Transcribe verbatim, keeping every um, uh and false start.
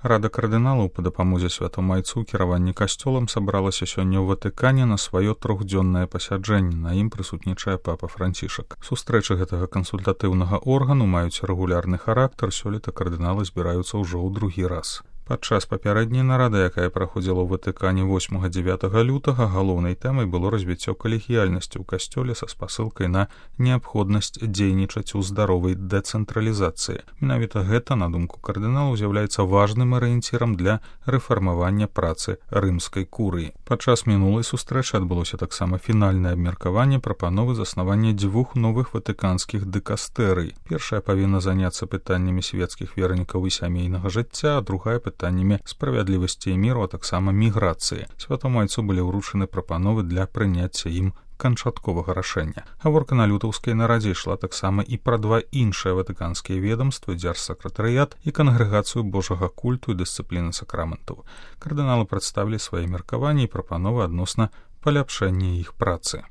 Рада кардыналаў па дапамозе святому айцу кіраванні касцёлам сабралася сёння ў Ватыкане на сваё трохдзённае пасяджэнне. На ім прысутнічае папа Францішак. Сустрэчы гэтага кансультатыўнага органу маюць рэгулярны характар, сёлета кардыналы збіраюцца ўжо ў другі раз. Падчас папярэдняй нарады, якая праходзіла ў Ватыкане восьмага-дзявятага лютага, галоўнай тэмай было развіццё калегіяльнасці ў касцёле са спасылкай на неабходнасць дзейнічаць у здаровай дэцэнтралізацыі. Менавіта гэта, на думку кардыналаў, з'яўляецца важным арыенцірам для рэфармавання працы рымскай курыі. Падчас мінулай сустрэчы адбылося таксама фінальнае абмеркаванне прапановы заснавання дзвюх новых ватыканскіх дыкастэрый. Першая павінна заняцца пытаннямі свецкіх вернікаў і сямейнага жыцця, а другая пытаннямі пытаннямі справядлівасці і міру, а таксама міграцыі. Святому айцу былі ўручаны прапановы для прыняцця ім канчатковага рашэння. Гаворка на лютаўскай нарадзе ішла таксама і пра два іншыя ватыканскія ведамствы, дзяржсакратарыят і кангрэгацыю Божага культу і дысцыпліны сакраментаў. Кардыналы прадставілі свае меркаванні і прапановы адносна паляпшэння іх працы.